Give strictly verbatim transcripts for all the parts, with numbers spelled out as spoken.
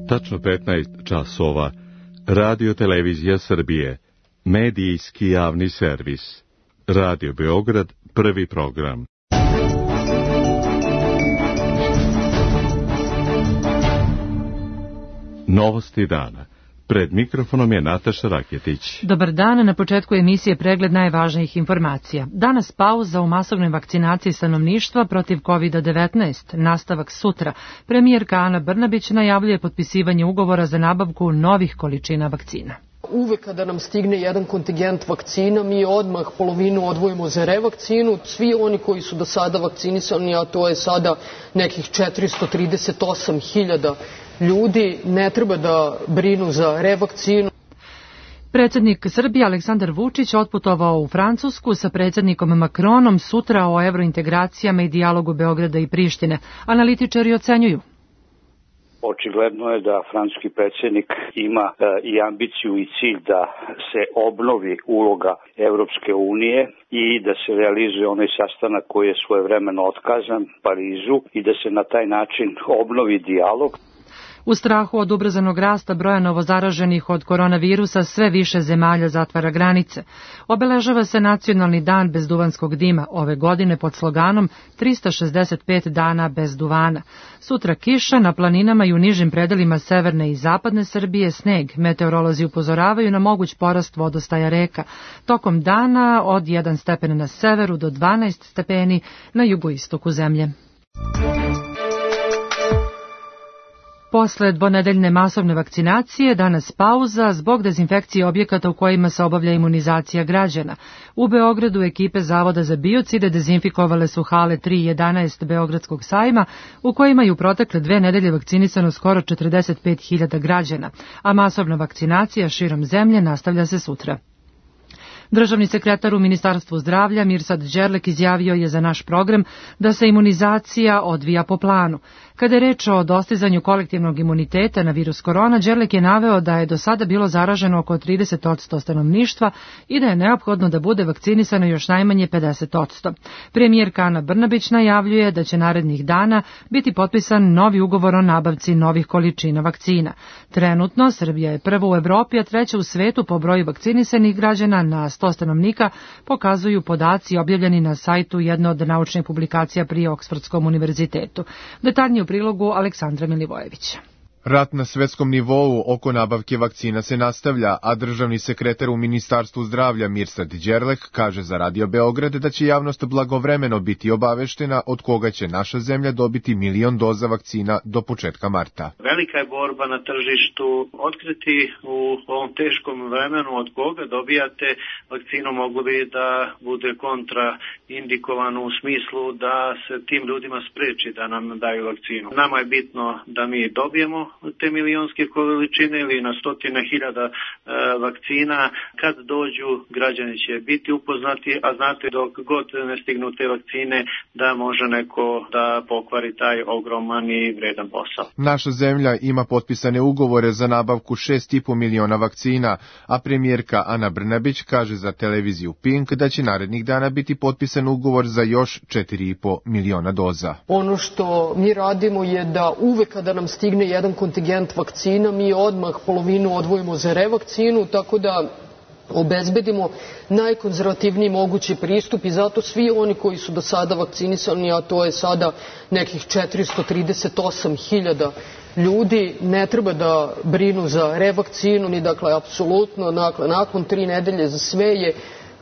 Tačno petnaest časova. Radio Televizija Srbije. Medijski javni servis. Radio Beograd, prvi program. Novosti dana. Pred mikrofonom je Nataša Raketić. Dobar dan, na početku emisije pregled najvažnijih informacija. Danas pauza u masovnoj vakcinaciji stanovništva protiv kovid devetnaest, nastavak sutra. Premijerka Ana Brnabić najavljuje potpisivanje ugovora za nabavku novih količina vakcina. Uvek kada nam stigne jedan kontingent vakcina, mi odmah polovinu odvojimo za revakcinu. Svi oni koji su do sada vakcinisani, a to je sada nekih četiristo trideset osam hiljada ljudi, ne treba da brinu za revakcinu. Predsjednik Srbije Aleksandar Vučić otputovao u Francusku sa predsjednikom Makronom sutra o evrointegracijama i dijalogu Beograda i Prištine. Analitičari ocenjuju. Očigledno je da francuski predsjednik ima e, i ambiciju i cilj da se obnovi uloga Evropske unije i da se realizuje onaj sastanak koji je svojevremeno otkazan Parizu i da se na taj način obnovi dijalog. U strahu od ubrzanog rasta broja novozaraženih od koronavirusa sve više zemalja zatvara granice. Obeležava se Nacionalni dan bez duvanskog dima, ove godine pod sloganom trista šezdeset pet dana bez duvana. Sutra kiša, na planinama i u nižim predelima severne i zapadne Srbije sneg. Meteorolozi upozoravaju na moguć porast vodostaja reka. Tokom dana od jedan stepen na severu do dvanaest stepeni na jugoistoku zemlje. Posle dvonedeljne masovne vakcinacije, danas pauza zbog dezinfekcije objekata u kojima se obavlja imunizacija građana. U Beogradu ekipe Zavoda za biocide dezinfikovale su hale tri i jedanaest Beogradskog sajma, u kojima je u protekle dve nedelje vakcinisano skoro četrdeset pet hiljada građana, a masovna vakcinacija širom zemlje nastavlja se sutra. Državni sekretar u Ministarstvu zdravlja Mirsad Đerlek izjavio je za naš program da se imunizacija odvija po planu. Kada je reč o dostizanju kolektivnog imuniteta na virus korona, Đerlek je naveo da je do sada bilo zaraženo oko trideset posto stanovništva i da je neophodno da bude vakcinisano još najmanje pedeset posto. Premijerka Ana Brnabić najavljuje da će narednih dana biti potpisan novi ugovor o nabavci novih količina vakcina. Trenutno Srbija je prva u Evropi, a treća u svetu po broju vakcinisanih građana na sto stanovnika, pokazuju podaci objavljeni na sajtu jedne od naučnih publikacija pri Oksfordskom univerzitetu. Detaljnije u prilogu Aleksandra Milivojevića. Rat na svetskom nivou oko nabavke vakcina se nastavlja, a državni sekretar u Ministarstvu zdravlja Mirsad Đerlek kaže za Radio Beograd da će javnost blagovremeno biti obaveštena od koga će naša zemlja dobiti milion doza vakcina do početka marta. Velika je borba na tržištu. Otkriti u ovom teškom vremenu od koga dobijate vakcinu mogu li da bude kontraindikovano u smislu da se tim ljudima spreči da nam daju vakcinu. Nama je bitno da mi dobijemo te milionske količine ili na stotine hiljada e, vakcina. Kad dođu, građani će biti upoznati, a znate dok god ne stignu te vakcine da može neko da pokvari taj ogroman i vredan posao. Naša zemlja ima potpisane ugovore za nabavku šest i po miliona vakcina, a premijerka Ana Brnabić kaže za televiziju Pink da će narednih dana biti potpisan ugovor za još četiri i po miliona doza. Ono što mi radimo je da uvek kada nam stigne jedan kontingent vakcina, mi odmah polovinu odvojimo za revakcinu, tako da obezbedimo najkonzervativniji mogući pristup i zato svi oni koji su do sada vakcinisani, a to je sada nekih četiristo trideset osam hiljada ljudi, ne treba da brinu za revakcinu, ni dakle apsolutno, dakle, nakon tri nedelje za sve je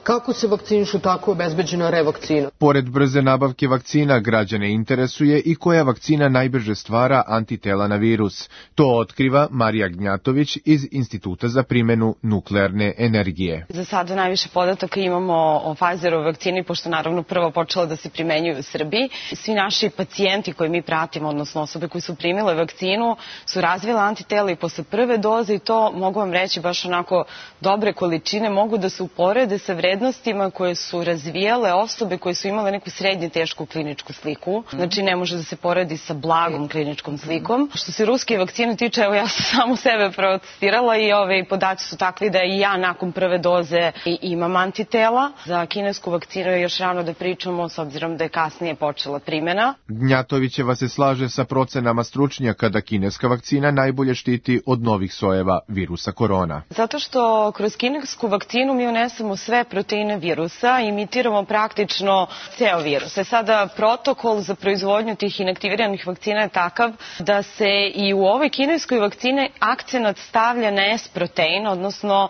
kako se vakcinišu, tako je obezbeđena revakcina. Pored brze nabavke vakcina, građane interesuje i koja vakcina najbrže stvara antitela na virus. To otkriva Marija Gnjatović iz Instituta za primjenu nuklearne energije. Za sada najviše podataka imamo o Pfizerovoj vakcini, pošto naravno prvo počela da se primenjuje u Srbiji. Svi naši pacijenti koji mi pratimo, odnosno osobe koji su primile vakcinu, su razvile antitela i posle prve doze i to, mogu vam reći, baš onako dobre količine, mogu da se uporede sa vrednostima vrednostima koje su razvijale osobe koje su imale neku srednje tešku kliničku sliku. Znači ne može da se poredi sa blagom kliničkom slikom. Što se ruske vakcine tiče, evo ja sam samo sebe protestirala i ove podaci su takvi da i ja nakon prve doze imam antitela. Za kinesku vakcinu je još rano da pričamo s obzirom da je kasnije počela primjena. Gnjatovićeva se slaže sa procenama stručnjaka da kineska vakcina najbolje štiti od novih sojeva virusa korona. Zato što kroz kinesku vakcinu mi unesemo sve proteine virusa, imitiramo praktično ceo virus. E sada protokol za proizvodnju tih inaktiviranih vakcina je takav da se i u ovoj kineskoj vakcini akcenat stavlja na S-protein, odnosno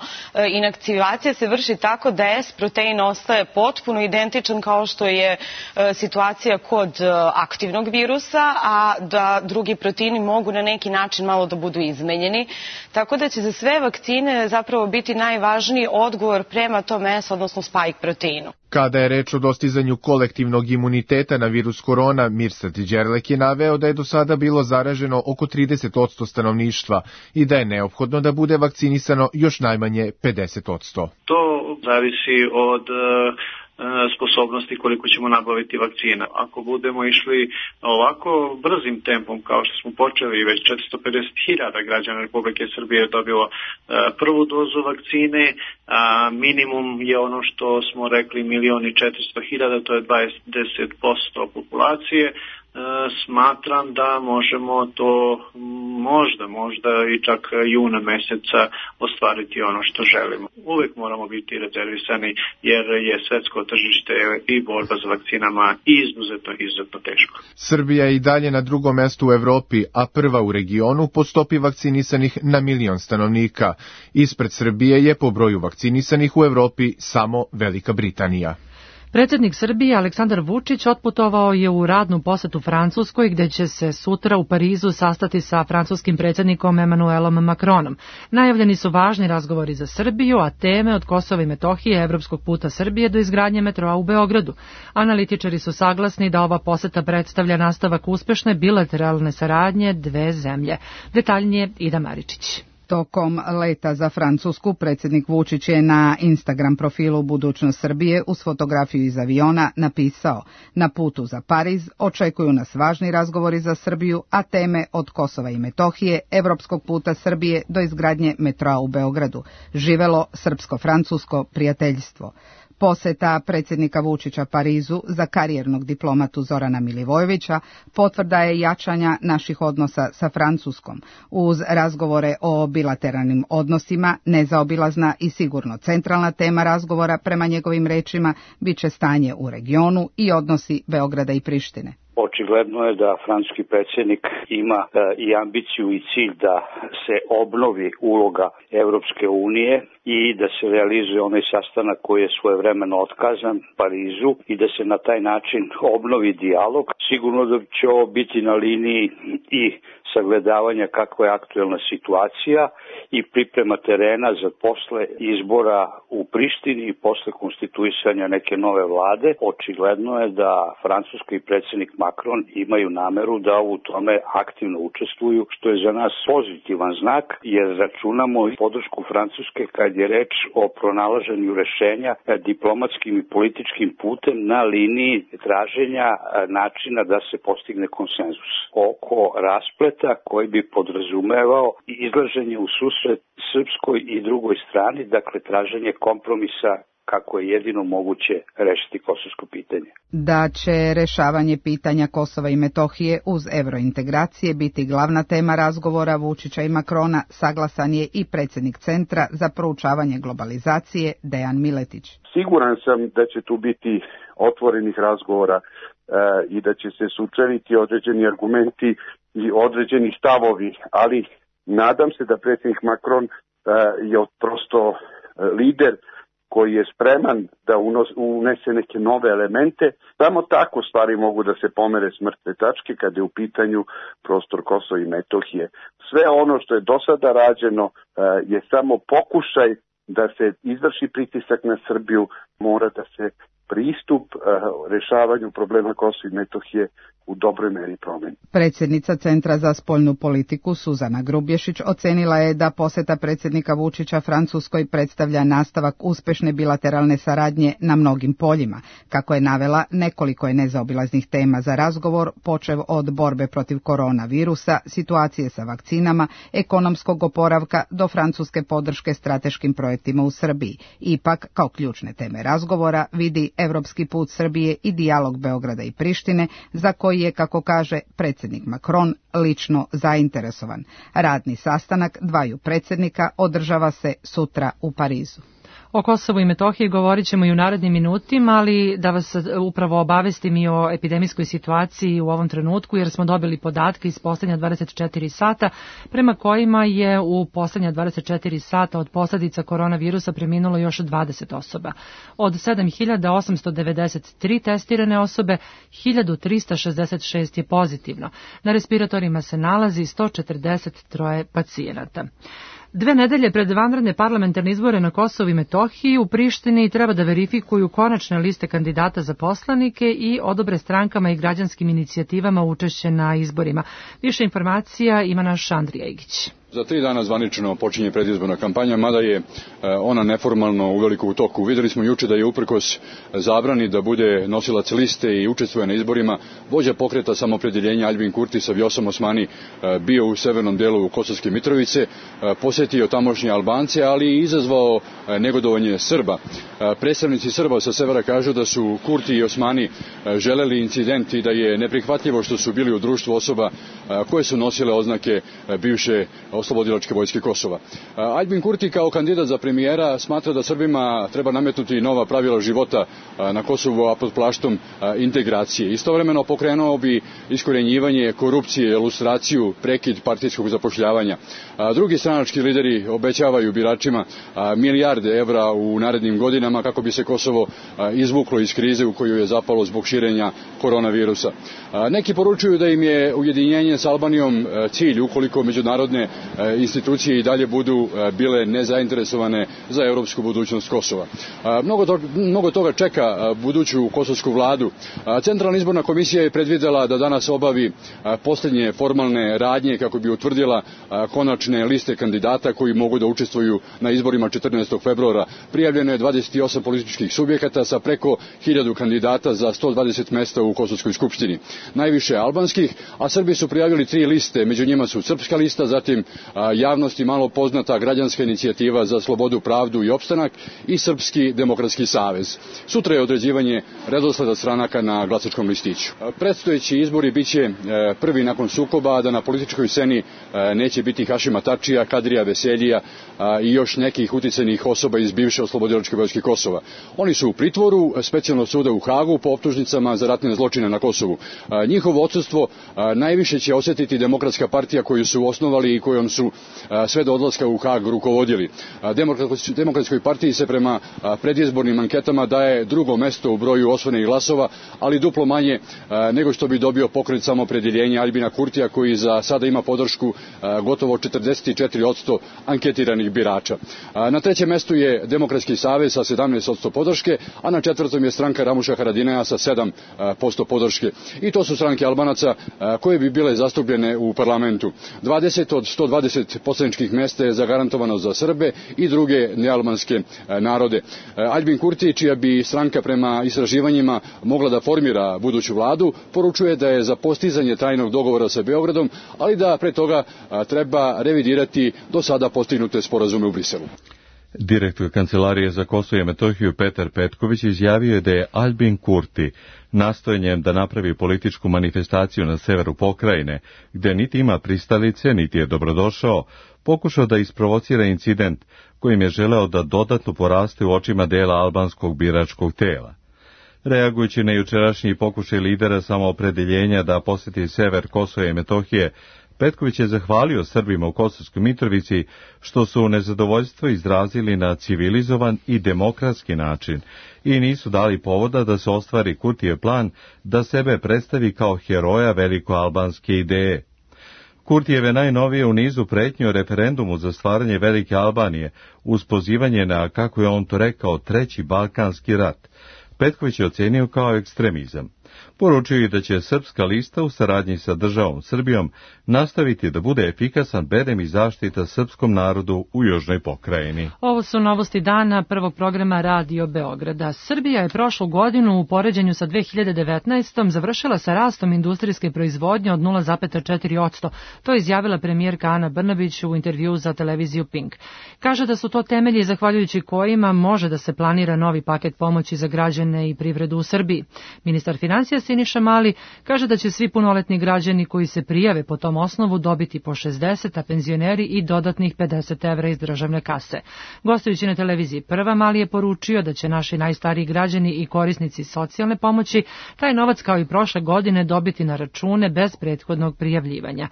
inaktivacija se vrši tako da S-protein ostaje potpuno identičan kao što je situacija kod aktivnog virusa, a da drugi proteini mogu na neki način malo da budu izmenjeni. Tako da će za sve vakcine zapravo biti najvažniji odgovor prema tom S, odnosno spike proteinu. Kada je reč o dostizanju kolektivnog imuniteta na virus korona, Mirsad Đerlek je naveo da je do sada bilo zaraženo oko trideset posto stanovništva i da je neophodno da bude vakcinisano još najmanje pedeset posto. To zavisi od sposobnosti koliko ćemo nabaviti vakcina. Ako budemo išli ovako brzim tempom kao što smo počeli, već četiristo pedeset hiljada građana Republike Srbije je dobilo prvu dozu vakcine, a minimum je ono što smo rekli milion i četiristo hiljada, to je dvadeset posto populacije. Smatram da možemo to možda, možda i čak juna meseca ostvariti ono što želimo. Uvek moramo biti rezervisani jer je svetsko tržište i borba za vakcinama izuzetno, izuzetno teško. Srbija je i dalje na drugom mestu u Evropi, a prva u regionu po stopi vakcinisanih na milion stanovnika. Ispred Srbije je po broju vakcinisanih u Evropi samo Velika Britanija. Predsjednik Srbije Aleksandar Vučić otputovao je u radnu posetu Francuskoj, gde će se sutra u Parizu sastati sa francuskim predsjednikom Emmanuelom Macronom. Najavljeni su važni razgovori za Srbiju, a teme od Kosova i Metohije, evropskog puta Srbije do izgradnje metroa u Beogradu. Analitičari su saglasni da ova poseta predstavlja nastavak uspešne bilateralne saradnje dve zemlje. Detaljnije Ida Maričić. Tokom leta za Francusku predsjednik Vučić je na Instagram profilu Budućnost Srbije uz fotografiju iz aviona napisao: na putu za Pariz očekuju nas važni razgovori za Srbiju, a teme od Kosova i Metohije, evropskog puta Srbije do izgradnje metroa u Beogradu. Živelo srpsko-francusko prijateljstvo. Poseta predsjednika Vučića Parizu za karijernog diplomatu Zorana Milivojevića potvrda je jačanja naših odnosa sa Francuskom. Uz razgovore o bilateralnim odnosima, nezaobilazna i sigurno centralna tema razgovora prema njegovim rečima bit će stanje u regionu i odnosi Beograda i Prištine. Očigledno je da francuski predsjednik ima e, i ambiciju i cilj da se obnovi uloga Evropske unije i da se realizuje onaj sastanak koji je svojevremeno otkazan Parizu i da se na taj način obnovi dijalog. Sigurno da će ovo biti na liniji i sagledavanja kakva je aktuelna situacija i priprema terena za posle izbora u Prištini i posle konstituisanja neke nove vlade. Očigledno je da Francuska i predsjednik Macron imaju nameru da u tome aktivno učestvuju, što je za nas pozitivan znak, jer računamo podršku Francuske kad je reč o pronalaženju rešenja diplomatskim i političkim putem na liniji traženja načina da se postigne konsenzus oko raspleta koji bi podrazumevao izlaženje u susret srpskoj i drugoj strani, dakle traženje kompromisa kako je jedino moguće rešiti kosovsko pitanje. Da će rešavanje pitanja Kosova i Metohije uz evrointegracije biti glavna tema razgovora Vučića i Macrona, saglasan je i predsjednik Centra za proučavanje globalizacije Dejan Miletić. Siguran sam da će tu biti otvorenih razgovora e, i da će se sučeliti određeni argumenti i određeni stavovi, ali nadam se da predsjednik Macron e, je prosto e, lider koji je spreman da unos, unese neke nove elemente. Samo tako stvari mogu da se pomere s mrtve tačke kada je u pitanju prostor Kosova i Metohije. Sve ono što je do sada rađeno e, je samo pokušaj da se izvrši pritisak na Srbiju, mora da se pristup uh, rešavanju problema Kosova i Metohije u dobroj meri promeni. Predsjednica Centra za spoljnu politiku Suzana Grubješić ocenila je da poseta predsjednika Vučića Francuskoj predstavlja nastavak uspešne bilateralne saradnje na mnogim poljima. Kako je navela, nekoliko je nezaobilaznih tema za razgovor, počev od borbe protiv koronavirusa, situacije sa vakcinama, ekonomskog oporavka do francuske podrške strateškim projektima u Srbiji. Ipak, kao ključne teme razgovora vidi evropski put Srbije i dijalog Beograda i Prištine, za koji je, kako kaže predsjednik Macron, lično zainteresovan. Radni sastanak dvaju predsjednika održava se sutra u Parizu. O Kosovu i Metohiji govorit ćemo i u narednim minutima, ali da vas upravo obavestim i o epidemijskoj situaciji u ovom trenutku, jer smo dobili podatke iz poslednja dvadeset četiri sata, prema kojima je u poslednja dvadeset četiri sata od posljedica koronavirusa preminulo još dvadeset osoba. Od sedam hiljada osamsto devedeset tri testirane osobe, hiljadu trista šezdeset šest je pozitivno. Na respiratorima se nalazi sto četrdeset tri pacijenata. Dve nedelje pred vanredne parlamentarne izbore na Kosovu i Metohiji u Prištini treba da verifikuju konačne liste kandidata za poslanike i odobre strankama i građanskim inicijativama učešće na izborima. Više informacija ima naš Andrija Igić. Za tri dana zvanično počinje predizborna kampanja, mada je ona neformalno uveliko u toku. Videli smo juče da je uprkos zabrani da bude nosilac liste i učestvuje na izborima, vođa pokreta samoopredjeljenja Aljbin Kurti sa Vjosom Osmani bio u severnom delu Kosovske Mitrovice, posetio tamošnje Albance, ali i izazvao negodovanje Srba. Predstavnici Srba sa severa kažu da su Kurti i Osmani želeli incident i da je neprihvatljivo što su bili u društvu osoba koje su nosile oznake bivše oslobodilačke vojske Kosova. Aljbin Kurti kao kandidat za premijera smatra da Srbima treba nametnuti nova pravila života na Kosovu, a pod plaštom integracije. Istovremeno pokrenuo bi iskorjenjivanje korupcije, lustraciju, prekid partijskog zapošljavanja. Drugi stranački lideri obećavaju biračima milijarde evra u narednim godinama kako bi se Kosovo izvuklo iz krize u koju je zapalo zbog širenja koronavirusa. Neki poručuju da im je ujedinjenje s Albanijom cilj ukoliko međunarodne institucije i dalje budu bile nezainteresovane za evropsku budućnost Kosova. Mnogo, to, mnogo toga čeka buduću kosovsku vladu. Centralna izborna komisija je predvidela da danas obavi posljednje formalne radnje kako bi utvrdila konačne liste kandidata koji mogu da učestvuju na izborima četrnaestog februara. Prijavljeno je dvadeset osam političkih subjekata sa preko hiljadu kandidata za sto dvadeset mesta u Kosovskoj skupštini. Najviše albanskih, a Srbi su prijavili tri liste, među njima su Srpska lista, zatim javnosti malo poznata Građanska inicijativa za slobodu, pravdu i opstanak i Srpski demokratski savez. Sutra je određivanje redosleda stranaka na glasačkom listiću. Predstojeći izbori biće prvi nakon sukoba, da na političkoj sceni neće biti Hašima Tačija, Kadrija Veseljija i još nekih uticajnih osoba iz bivše oslobodilačke vojske Kosova. Oni su u pritvoru specijalnog suda u Hagu po optužnicama za ratne zločine na Kosovu. Njihovo odsustvo najviše će osjetiti Demokratska partija koju su osnovali i kojom su sve do odlaska u Hag rukovodili. Demokratskoj partiji se prema predizbornim anketama daje drugo mesto u broju osvojenih glasova, ali duplo manje nego što bi dobio pokret samoopredjeljenja Aljbina Kurtija, koji za sada ima podršku gotovo četrdeset četiri posto anketiranih birača. Na trećem mestu je Demokratski savez sa sedamnaest posto podrške, a na četvrtom je stranka Ramuša Haradinaja sa sedam posto podrške. I to su stranke Albanaca koje bi bile zastupljene u parlamentu. dvadeset od sto dvadeset poslaničkih mesta je zagarantovano za Srbe i druge nealbanske narode. Aljbin Kurti, čija bi stranka prema istraživanjima mogla da formira buduću vladu, poručuje da je za postizanje trajnog dogovora sa Beogradom, ali da pre toga treba revidirati do sada postignute sporazume u Briselu. Direktor Kancelarije za Kosovo i Metohiju Petar Petković izjavio je da je Aljbin Kurti nastojanjem da napravi političku manifestaciju na severu pokrajine, gde niti ima pristalice, niti je dobrodošao, pokušao da isprovocira incident kojim je želeo da dodatno poraste u očima dela albanskog biračkog tela. Reagujući na jučerašnji pokušaj lidera samoopredeljenja da poseti sever Kosova i Metohije, Petković je zahvalio Srbima u Kosovskoj Mitrovici što su nezadovoljstvo izrazili na civilizovan i demokratski način i nisu dali povoda da se ostvari Kurtijev plan da sebe predstavi kao heroja velikoalbanske ideje. Kurtijev je najnovije u nizu pretnji o referendumu za stvaranje Velike Albanije uz pozivanje na, kako je on to rekao, treći Balkanski rat. Petković je ocenio kao ekstremizam. Poručio je da će Srpska lista u saradnji sa državom Srbijom nastaviti da bude efikasan bedem i zaštita srpskom narodu u južnoj pokrajini. Ovo su novosti dana prvog programa Radio Beograda. Srbija je prošlu godinu u poređenju sa dve hiljade devetnaestom. završila sa rastom industrijske proizvodnje od nula zarez četiri posto. To je izjavila premijerka Ana Brnabić u intervjuu za televiziju Pink. Kaže da su to temelji zahvaljujući kojima može da se planira novi paket pomoći za građane i privredu u Srbiji. Ministar financija Siniša Mali kaže da će svi punoletni građani koji se prijave po tom osnovu dobiti po šezdeset, a penzioneri i dodatnih pedeset evra iz državne kase. Gostujući na televiziji Prva, Mali je poručio da će naši najstariji građani i korisnici socijalne pomoći taj novac kao i prošle godine dobiti na račune bez prethodnog prijavljivanja.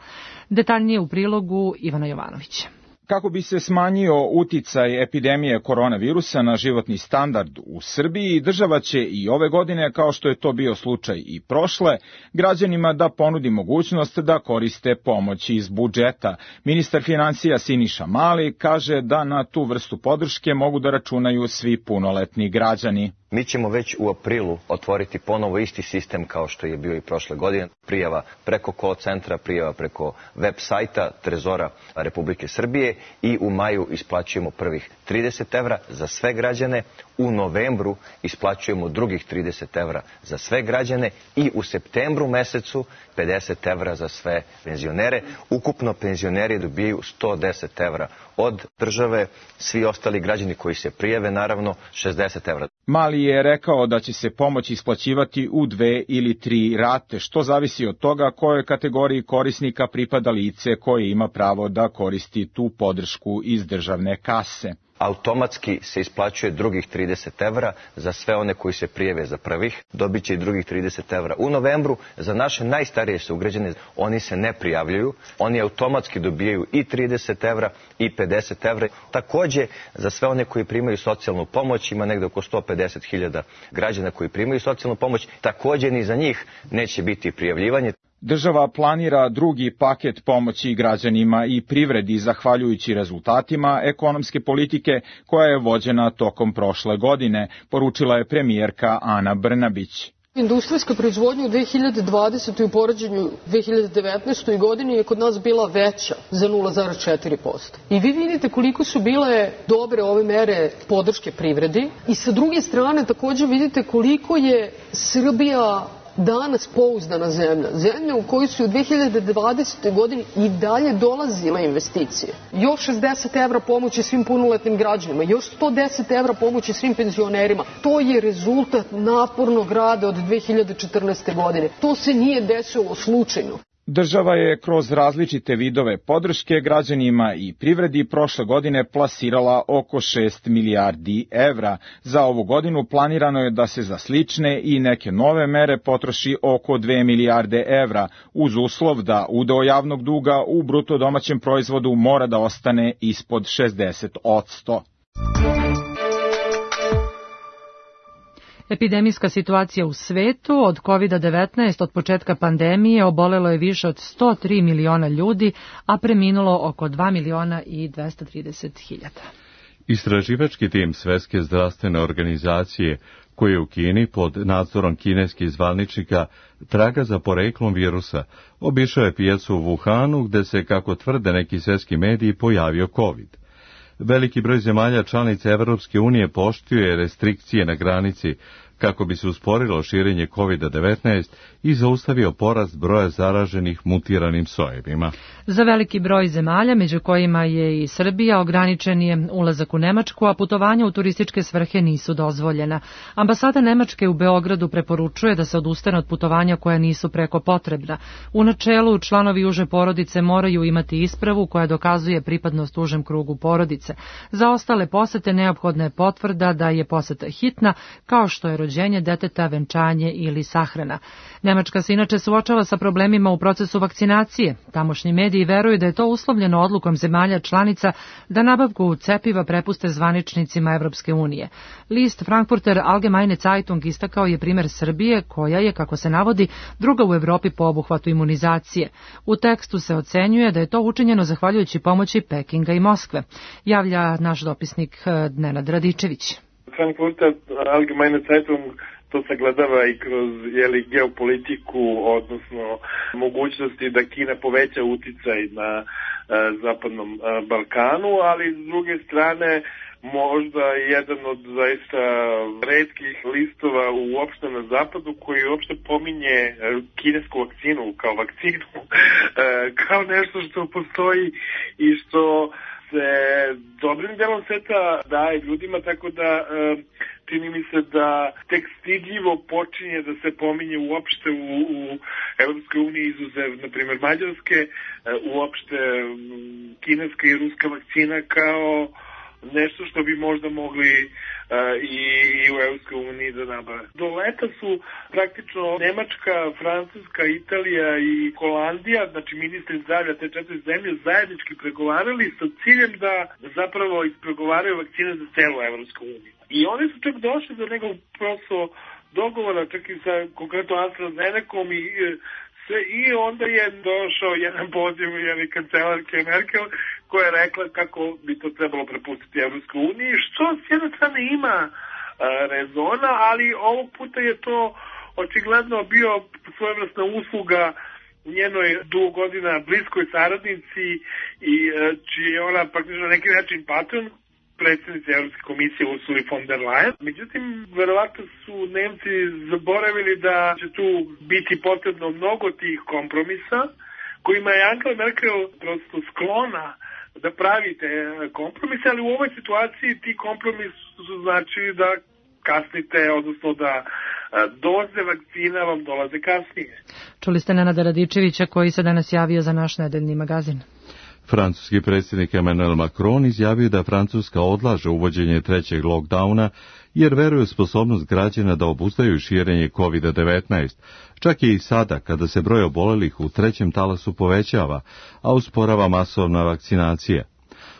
Detaljnije u prilogu Ivana Jovanovića. Kako bi se smanjio uticaj epidemije koronavirusa na životni standard u Srbiji, država će i ove godine, kao što je to bio slučaj i prošle, građanima da ponudi mogućnost da koriste pomoć iz budžeta. Ministar financija Siniša Mali kaže da na tu vrstu podrške mogu da računaju svi punoletni građani. Mi ćemo već u aprilu otvoriti ponovo isti sistem kao što je bio i prošle godine. Prijava preko call centra, prijava preko web sajta Trezora Republike Srbije i u maju isplaćujemo prvih trideset evra za sve građane. U novembru isplaćujemo drugih trideset evra za sve građane i u septembru mesecu pedeset evra za sve penzionere. Ukupno penzioneri dobijaju sto deset evra od države, svi ostali građani koji se prijave naravno šezdeset evra. Mali je rekao da će se pomoć isplaćivati u dve ili tri rate, što zavisi od toga kojoj kategoriji korisnika pripada lice koje ima pravo da koristi tu podršku iz državne kase. Automatski se isplaćuje drugih trideset evra za sve one koji se prijave za prvih, dobit će i drugih trideset evra. U novembru za naše najstarije sugrađane, oni se ne prijavljuju, oni automatski dobijaju i trideset evra i pedeset evra. Takođe, za sve one koji primaju socijalnu pomoć, ima negde oko sto pedeset hiljada građana koji primaju socijalnu pomoć, takođe ni za njih neće biti prijavljivanje. Država planira drugi paket pomoći građanima i privredi zahvaljujući rezultatima ekonomske politike koja je vođena tokom prošle godine, poručila je premijerka Ana Brnabić. Industrijska proizvodnja u dve hiljade dvadesetoj u poređenju dve hiljade devetnaestoj godini je kod nas bila veća za nula zarez četiri posto. I vi vidite koliko su bile dobre ove mere podrške privredi i sa druge strane takođe vidite koliko je Srbija danas pouzdana zemlja, zemlja u kojoj su u dve hiljade dvadesetoj godini i dalje dolazile investicije. Još šezdeset evra pomoći svim punoletnim građanima, još sto deset evra pomoći svim penzionerima. To je rezultat napornog rada od dve hiljade četrnaeste. godine. To se nije desilo slučajno. Država je kroz različite vidove podrške građanima i privredi prošle godine plasirala oko šest milijardi evra. Za ovu godinu planirano je da se za slične i neke nove mere potroši oko dve milijarde evra, uz uslov da udeo javnog duga u bruto domaćem proizvodu mora da ostane ispod šezdeset posto. Epidemijska situacija u svetu od kovid devetnaest od početka pandemije obolelo je više od sto tri miliona ljudi, a preminulo oko dva miliona i dvesta trideset hiljada. Istraživački tim Svetske zdravstvene organizacije, koji je u Kini pod nadzorom kineskih zvaničnika traga za poreklom virusa, obišao je pijacu u Wuhanu gde se, kako tvrde neki svetski mediji, pojavio COVID. Veliki broj zemalja članica Evropske unije poštuje restrikcije na granici kako bi se usporilo širenje kovid devetnaest i zaustavio porast broja zaraženih mutiranim sojevima. Za veliki broj zemalja, među kojima je i Srbija, ograničen je ulazak u Nemačku, a putovanja u turističke svrhe nisu dozvoljena. Ambasada Nemačke u Beogradu preporučuje da se odustane od putovanja koja nisu preko potrebna. U načelu, članovi uže porodice moraju imati ispravu koja dokazuje pripadnost užem krugu porodice. Za ostale posete neophodna je potvrda da je poseta hitna, kao što je rođenje deteta, venčanje ili sahrana. Nemačka se inače suočava sa problemima u procesu vakcinacije. Tamošnji mediji veruju da je to uslovljeno odlukom zemalja članica da nabavku cepiva prepuste zvaničnicima Evropske unije. List Frankfurter Allgemeine Zeitung istakao je primer Srbije, koja je, kako se navodi, druga u Evropi po obuhvatu imunizacije. U tekstu se ocenjuje da je to učinjeno zahvaljujući pomoći Pekinga i Moskve, javlja naš dopisnik Nenad Radičević. Frankfurter Allgemeine Zeitung to sagledava i kroz jeli, geopolitiku, odnosno mogućnosti da Kina poveća uticaj na uh, zapadnom uh, Balkanu, ali s druge strane možda jedan od zaista retkih listova uopšte na zapadu koji uopšte pominje kinesku vakcinu kao vakcinu, kao nešto što postoji i što se dobrim delom sveta daje ljudima, tako da čini mi se da tek stidljivo počinje da se pominje uopšte u, u Evropskoj uniji, izuzev, na primjer, Mađarske, uopšte kineska i ruska vakcina kao nešto što bi možda mogli uh, i, i u Evropskoj uniji da nabave. Do leta su praktično Nemačka, Francuska, Italija i Holandija, znači ministri zdravlja te četiri zemlje, zajednički pregovarali sa ciljem da zapravo ispregovaraju vakcine za celu Evropsku uniju. I oni su čak došli do nekog prosto dogovora, čak i sa konkretno AstraZenecom i sve, i onda je došao jedan poziv jedne kancelarke Merkel koja je rekla kako bi to trebalo prepustiti Evropskoj uniji, što s jedne strane ima a, rezona, ali ovog puta je to očigledno bio svojevrsna usluga njenoj dugo godina bliskoj saradnici i čiji je ona praktično na neki način patron, predsjednice Evropske komisije Ursuli von der Leyen. Međutim, verovatno su Nemci zaboravili da će tu biti potrebno mnogo tih kompromisa kojima je Angela Merkel prosto sklona da pravite kompromise, ali u ovoj situaciji ti kompromisi su značili da kasnite, odnosno da doze vakcina vam dolaze kasnije. Čuli ste Nenada Radičevića koji se danas javio za naš nedeljni magazin. Francuski predsjednik Emmanuel Macron izjavio da Francuska odlaže uvođenje trećeg lockdowna jer veruje u sposobnost građana da obuzdaju širenje kovid devetnaest, čak i sada kada se broj obolelih u trećem talasu povećava, a usporava masovna vakcinacija.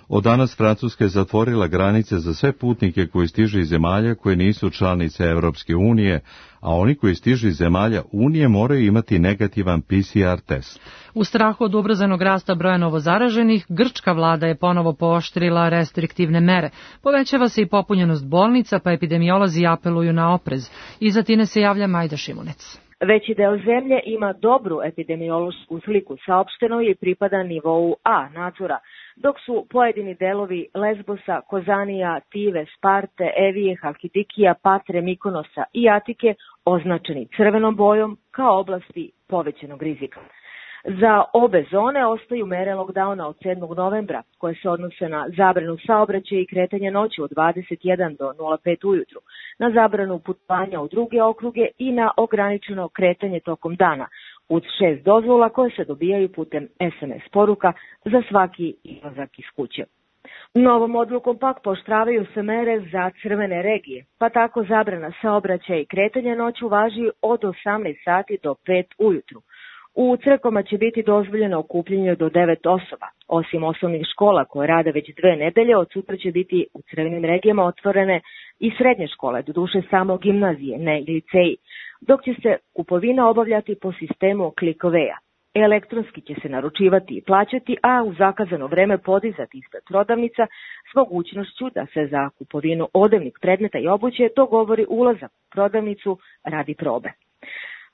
Od danas Francuska je zatvorila granice za sve putnike koji stižu iz zemalja koje nisu članice Evropske unije, a oni koji stižu iz zemalja Unije moraju imati negativan P C R test. U strahu od ubrzanog rasta broja novozaraženih, grčka vlada je ponovo pooštrila restriktivne mere. Povećava se i popunjenost bolnica, pa epidemiolozi apeluju na oprez. Iz Atine se javlja Majda Šimunec. Veći deo zemlje ima dobru epidemiološku sliku, saopšteno je i pripada nivou A nadzora, dok su pojedini delovi Lesbosa, Kozanija, Tive, Sparte, Evije, Halkidikija, Patre, Mikonosa i Atike označeni crvenom bojom kao oblasti povećanog rizika. Za obe zone ostaju mere lockdowna od sedmog novembra, koje se odnose na zabranu saobraćaja i kretanja noći od dvadeset jedan do nula pet ujutru, na zabranu putovanja u druge okruge i na ograničeno kretanje tokom dana, uz šest dozvola koje se dobijaju putem es em es poruka za svaki izlazak iz kuće. Novom odlukom pak pooštravaju se mere za crvene regije, pa tako zabrana saobraćaja i kretanja noću važi od osamnaest sati do pet ujutru. U crkvama će biti dozvoljeno okupljanje do devet osoba. Osim osnovnih škola koje rade već dve nedelje, od sutra će biti u crvenim regijama otvorene i srednje škole, doduše samo gimnazije, ne i liceji, dok će se kupovina obavljati po sistemu click-away-a. Elektronski će se naručivati i plaćati, a u zakazano vreme podizati ispred prodavnica s mogućnošću da se za kupovinu odevnih predmeta i obuće dogovori ulazak u prodavnicu radi probe.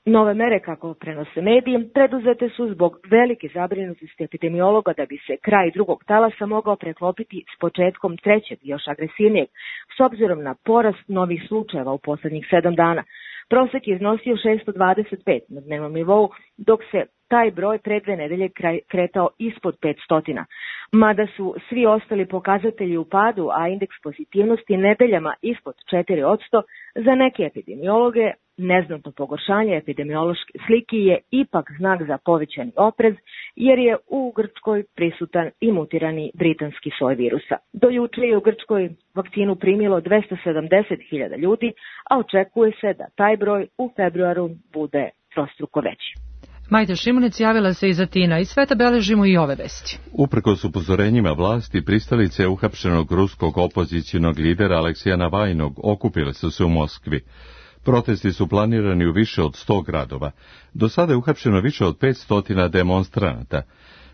Nove mere, kako prenose mediji, preduzete su zbog velike zabrinutosti epidemiologa da bi se kraj drugog talasa mogao preklopiti s početkom trećeg, još agresivnijeg, s obzirom na porast novih slučajeva u poslednjih sedam dana. Prosek je iznosio šesto dvadeset pet na dnevnom nivou, dok se taj broj pre dve nedelje kretao ispod petsto. Mada su svi ostali pokazatelji u padu, a indeks pozitivnosti nedeljama ispod četiri posto, za neke epidemiologe neznatno pogoršanje epidemiološke slike je ipak znak za povećani oprez, jer je u Grčkoj prisutan i mutirani britanski soj virusa. Do juče je u Grčkoj vakcinu primilo dvesta sedamdeset hiljada ljudi, a očekuje se da taj broj u februaru bude trostruko veći. Majda Šimunec javila se iz Atina i sveta beležimo i ove vesti. Uprkos upozorenjima vlasti, pristalice uhapšenog ruskog opozicionog lidera Aleksija Navajnog okupile su se u Moskvi. Protesti su planirani u više od sto gradova. Do sada je uhapšeno više od petsto demonstranata.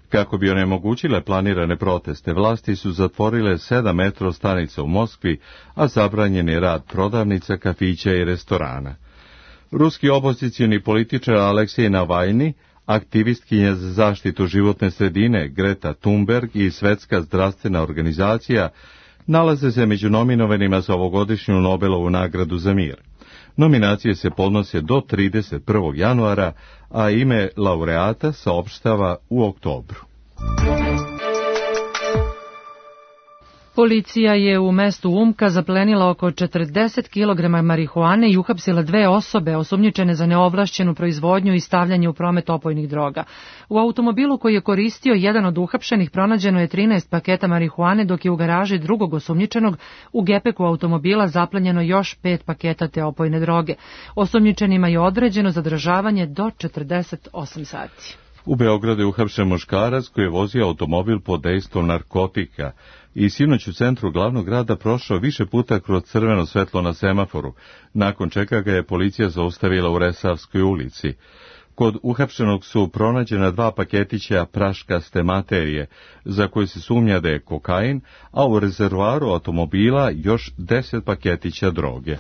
Kako bi onemogućile planirane proteste, vlasti su zatvorile sedam metro stanica u Moskvi, a zabranjen je rad prodavnica, kafića i restorana. Ruski opozicijni političar Aleksej Navajni, aktivistkinja za zaštitu životne sredine Greta Thunberg i Svetska zdravstvena organizacija nalaze se među nominovanima za ovogodišnju Nobelovu nagradu za mir. Nominacije se podnose do trideset prvog januara, a ime laureata saopštava u oktobru. Policija je u mestu Umka zaplenila oko četrdeset kilograma marihuane i uhapsila dve osobe osumnjičene za neovlašćenu proizvodnju i stavljanje u promet opojnih droga. U automobilu koji je koristio jedan od uhapšenih pronađeno je trinaest paketa marihuane, dok je u garaži drugog osumnjičenog u gepeku automobila zaplenjeno još pet paketa te opojne droge. Osumnjičenima je određeno zadržavanje do četrdeset osam sati. U Beogradu je uhapšen muškarac koji je vozio automobil pod dejstvom narkotika i sinoć u centru glavnog grada prošao više puta kroz crveno svetlo na semaforu, nakon čega ga je policija zaustavila u Resavskoj ulici. Kod uhapšenog su pronađena dva paketića praškaste materije, za koje se sumnja da je kokain, a u rezervoaru automobila još deset paketića droge.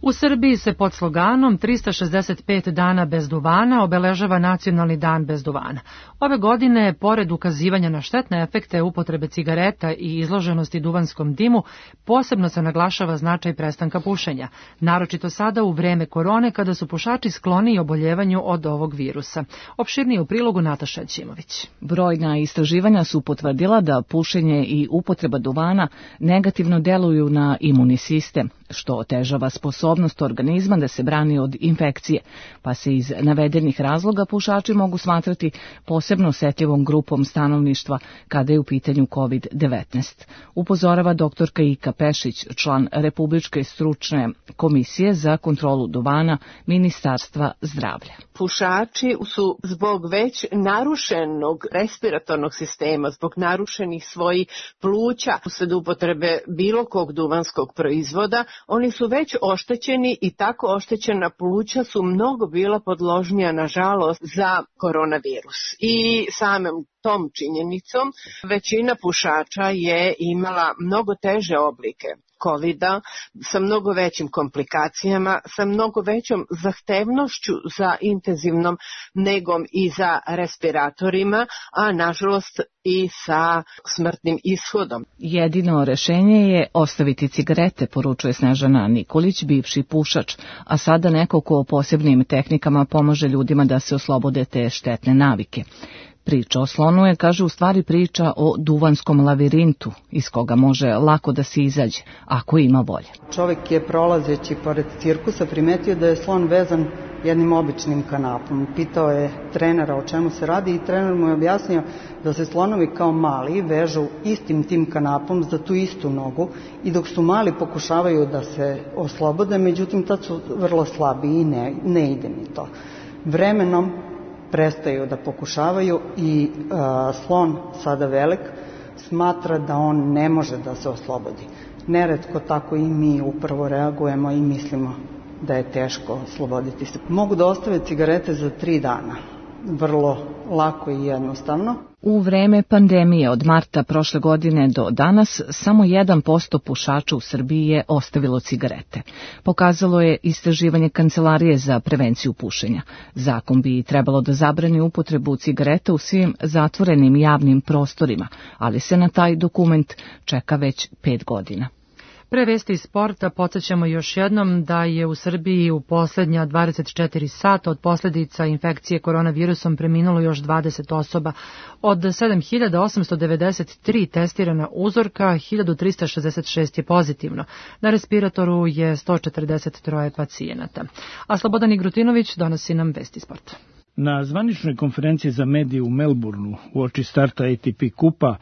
U Srbiji se pod sloganom trista šezdeset pet dana bez duvana obeležava Nacionalni dan bez duvana. Ove godine, pored ukazivanja na štetne efekte upotrebe cigareta i izloženosti duvanskom dimu, posebno se naglašava značaj prestanka pušenja, naročito sada u vreme korone kada su pušači skloni oboljevanju od ovog virusa. Opširnije u prilogu Nataša Ćimović. Brojna istraživanja su potvrdila da pušenje i upotreba duvana negativno deluju na imunni sistem, što otežava sposobnost organizma da se brani od infekcije, pa se iz navedenih razloga pušači mogu smatrati posebno osetljivom grupom stanovništva kada je u pitanju kovid devetnaest. Upozorava doktorka Ika Pešić, član Republičke stručne komisije za kontrolu duvana Ministarstva zdravlja. Pušači su zbog već narušenog respiratornog sistema, zbog narušenih svojih pluća, usled upotrebe bilo kog duvanskog proizvoda, oni su već oštećeni i tako oštećena pluća su mnogo bila podložnija, nažalost, za koronavirus. I samom tom činjenicom većina pušača je imala mnogo teže oblike kovida, sa mnogo većim komplikacijama, sa mnogo većom zahtevnošću za intenzivnom negom i za respiratorima, a nažalost i sa smrtnim ishodom. Jedino rešenje je ostaviti cigarete, poručuje Snežana Nikolić, bivši pušač, a sada neko ko posebnim tehnikama pomaže ljudima da se oslobode te štetne navike. Priča o slonu je, kaže, u stvari priča o duvanskom lavirintu, iz koga može lako da se izađe, ako ima volje. Čovjek je prolazeći pored cirkusa primetio da je slon vezan jednim običnim kanapom. Pitao je trenera o čemu se radi i trener mu je objasnio da se slonovi kao mali vežu istim tim kanapom za tu istu nogu i dok su mali pokušavaju da se oslobode, međutim tad su vrlo slabi i ne, ne ide mi to. Vremenom prestaju da pokušavaju i a, slon, sada velik, smatra da on ne može da se oslobodi. Neretko tako i mi upravo reagujemo i mislimo da je teško osloboditi se. Mogu da ostave cigarete za tri dana. Vrlo lako i jednostavno. U vreme pandemije od marta prošle godine do danas samo jedan posto pušača u Srbiji je ostavilo cigarete. Pokazalo je istraživanje Kancelarije za prevenciju pušenja. Zakon bi trebalo da zabrani upotrebu cigareta u svim zatvorenim javnim prostorima, ali se na taj dokument čeka već pet godina. Pre vesti iz sporta podsjećamo još jednom da je u Srbiji u poslednja dvadeset četiri sata od posljedica infekcije koronavirusom preminulo još dvadeset osoba. Od sedam hiljada osamsto devedeset tri testirana uzorka, hiljadu trista šezdeset šest je pozitivno. Na respiratoru je sto četrdeset tri pacijenata. A Slobodan Igrutinović donosi nam vesti sporta. Na zvaničnoj konferenciji za medije u Melbourneu uoči starta A T P kupa,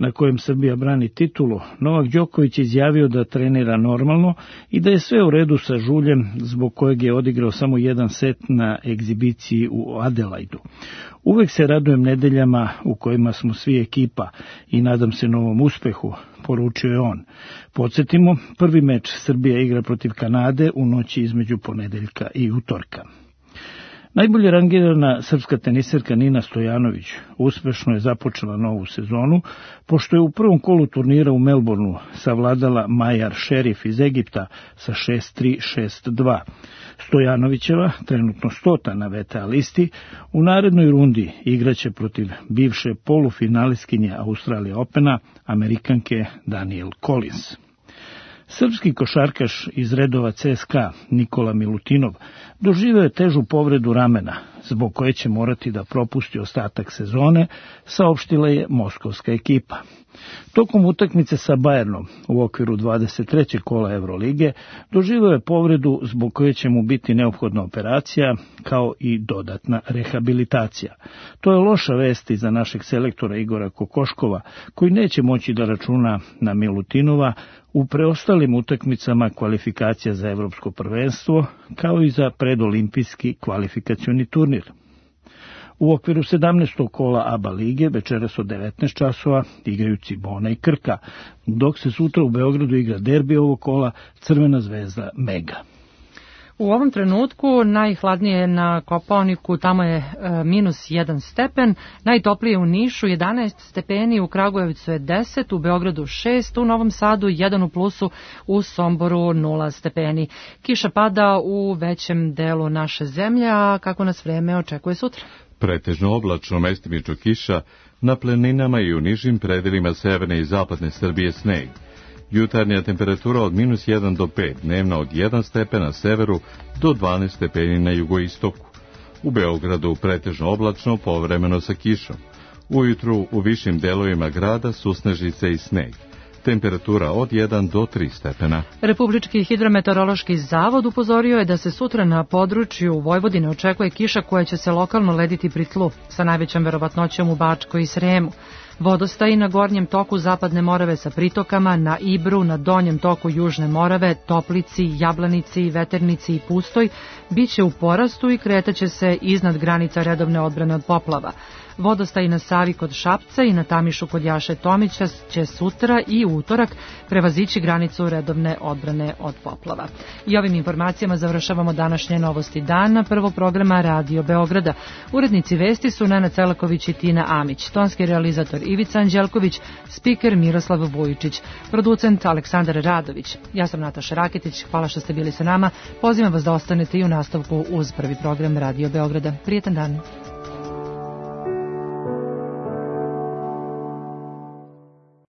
na kojem Srbija brani titulu, Novak Đoković je izjavio da trenira normalno i da je sve u redu sa žuljem, zbog kojeg je odigrao samo jedan set na egzibiciji u Adelaidu. Uvek se radujem nedeljama u kojima smo svi ekipa i nadam se novom uspehu, poručio je on. Podsjetimo, prvi meč Srbija igra protiv Kanade u noći između ponedeljka i utorka. Najbolje rangirana srpska teniserka Nina Stojanović uspešno je započela novu sezonu, pošto je u prvom kolu turnira u Melbourneu savladala Majar Šerif iz Egipta sa šest tri šest dva. Stojanovićeva, trenutno stota na V T A listi, u narednoj rundi igraće protiv bivše polufinalistkinje Australija Opena, Amerikanke Danielle Collins. Srpski košarkaš iz redova C S K A Nikola Milutinov doživeo je težu povredu ramena, zbog koje će morati da propusti ostatak sezone, saopštila je moskovska ekipa. Tokom utakmice sa Bayernom u okviru dvadeset trećeg kola Evrolige doživeo je povredu zbog koje će mu biti neophodna operacija kao i dodatna rehabilitacija. To je loša vest i za našeg selektora Igora Kokoškova, koji neće moći da računa na Milutinova u preostalim utakmicama kvalifikacija za evropsko prvenstvo, kao i za predolimpijski kvalifikacioni turnir. U okviru sedamnaestog kola A B A lige večeras od devetnaest časova igraju Cibona i Krka, dok se sutra u Beogradu igra derbi ovog kola Crvena zvezda Mega. U ovom trenutku najhladnije je na Kopaoniku, tamo je e, minus jedan stepen, najtoplije u Nišu jedanaest stepeni, u Kragujevcu je deset, u Beogradu šest, u Novom Sadu jedan u plusu, u Somboru nula stepeni. Kiša pada u većem delu naše zemlje, a kako nas vreme očekuje sutra? Pretežno oblačno, mestimično kiša, na planinama i u nižim predelima severne i zapadne Srbije sneg. Jutarnja temperatura od minus jedan do pet, dnevna od jedan stepen na severu do dvanaest stepeni na jugoistoku. U Beogradu pretežno oblačno, povremeno sa kišom. Ujutru u višim delovima grada susnežice i sneg. Temperatura od jedan do tri stepena. Republički hidrometeorološki zavod upozorio je da se sutra na području Vojvodine očekuje kiša koja će se lokalno lediti pri tlu, sa najvećom verovatnoćom u Bačkoj i Sremu. Vodostaji na gornjem toku Zapadne Morave sa pritokama, na Ibru, na donjem toku Južne Morave, Toplici, Jablanici, Veternici i Pustoj biće u porastu i kretaće se iznad granica redovne odbrane od poplava. Vodostaji na Savi kod Šapca i na Tamišu kod Jaše Tomića će sutra i utorak prevazići granicu redovne odbrane od poplava. I ovim informacijama završavamo današnje novosti dana prvog programa Radio Beograda. Urednici vesti su Nena Celaković i Tina Amić, tonski realizator Ivica Anđelković, spiker Miroslav Vujičić, producent Aleksandar Radović. Ja sam Nataša Raketić, hvala što ste bili sa nama. Pozivam vas da ostanete i u nastavku uz prvi program Radio Beograda. Prijetan dan.